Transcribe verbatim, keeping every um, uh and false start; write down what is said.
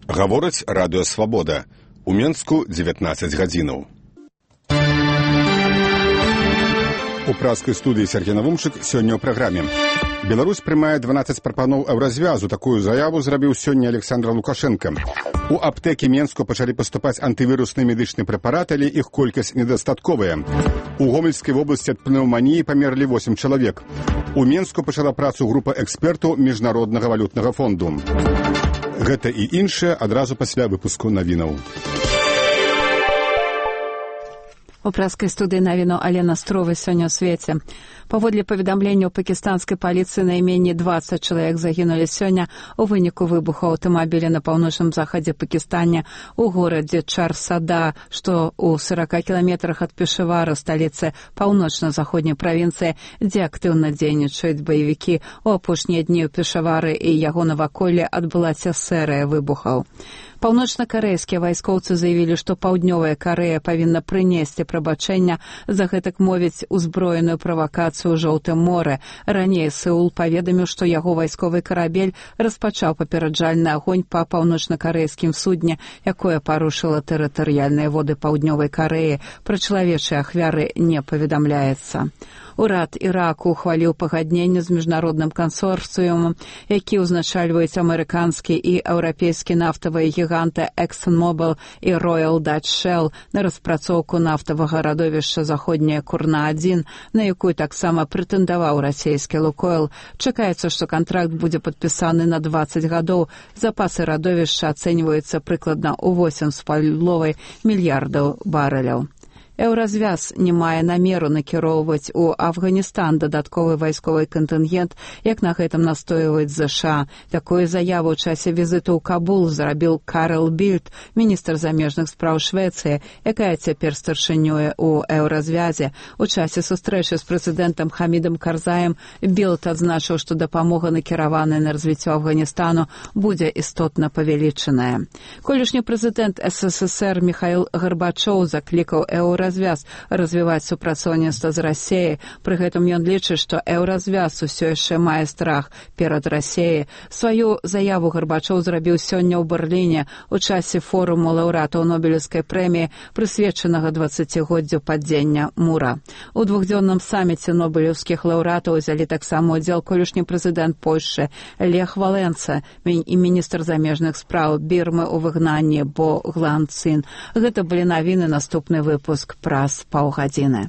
Гаворыць радыё «Свабода». У Менску дзевятнаццаць гадзінаў. У праскай студыі Сергей Навумчык сёння ў праграме. Беларусь прымае дванаццаць прапаноў еўразвязу. Такую заяву зрабіў сёння Александр Лукашенко. У аптэкі Менску пачалі паступаць антывірусныя медычныя прэпараты, але іх колькасць недастатковая. У Гомельскай вобласці ад пнеўманіі памерлі восем чалавек. У Менску пачала працу група экспертаў Міжнароднага валютнага фонду. Гэта і іншае адразу пасля выпуску навінаў. У праскай студыі навіну Алена Строва сёння ў свеце. Паводле паведамленняў пакістанскай паліцыі найменей дваццаць чалавек загінулі сёння ў выніку выбуху аўтамабіля на паўночным захадзе Пакістане у горадзе Чар-Сада, што ў сарака кіламетрах ад Пешавара, сталіцы паўночна-заходняй правінцыі, дзе актыўна дзейнічаюць баевікі. У апошнія дні ў Пешавары і яго наваколлі адбылася серыя выбухаў. Паўночна-карэйскія вайскоўцы заявілі, што Паўднёвая Карэя павінна прынесці прабачэння за гэтак мовіць узброеную правакацыю ў Жоўтым моры. Раней Сеул паведаміў, што яго вайсковы карабель распачаў папераджальны агонь па паўночна-карэйскім судне, якое парушыла тэрытарыяльныя воды Паўднёвай Карэі. Пра чалавечыя ахвяры не паведамляецца. Урад Іраку ухваліў пагадненне з міжнародным кансорцыумам, які ўзначальваюць амерыканскі і еўрапейскі нафтавыя гіганты ExxonMobil і Royal Dutch Shell на распрацоўку нафтавага радовішча заходняя Курна адзін, на якую таксама прэтэндаваў расійскі Лукойл. Чакаецца, што кантракт будзе падпісаны на дваццаць гадоў. Запасы радовішча ацэньваюцца прыкладна ў восем з паловай мільярдаў барэляў. Еўразвяз не мае намеру накіроўваць у Афганістан дадатковы вайсковы кантынгент, як на гэтым настойваюць ЗША. Такую заяву ў часе візіту ў Кабул зрабіў Карл Більд, міністр замежных спраў Швецыі, якая цяпер старшынёе ў еўразвязе. У часе сустрэчы з прэзідэнтам Хамідам Карзаем Більд адзначыў, што дапамога, накіраваная на развіццё Афганістану, будзе істотна павялічаная. Колішні прэзідэнт СССР Міхаіл Гарбачоў заклікаў еўразвяз развяз развіваць супрацоўніцтва з Расіяй. Пры гэтым ён лічыць, што еўразвяз усё яшчэ мае страх перад Расіяй. Сваю заяву Гарбачоў зрабіў сёння ў Берліне у часе форуму лаўрэатаў Нобелеўскай прэміі, прысвечанага дваццацігоддзю падзення мура. У двухдзённым саміце нобелеўскіх лаўрэатаў узялі таксама ўдзел колішні прэзідэнт Польшчы Лех Валенца і міністр замежных спраў Бірмы ў выгнанні Бо Глан Цин. Гэта былі навіны, наступны выпуск праз паўгадзіны.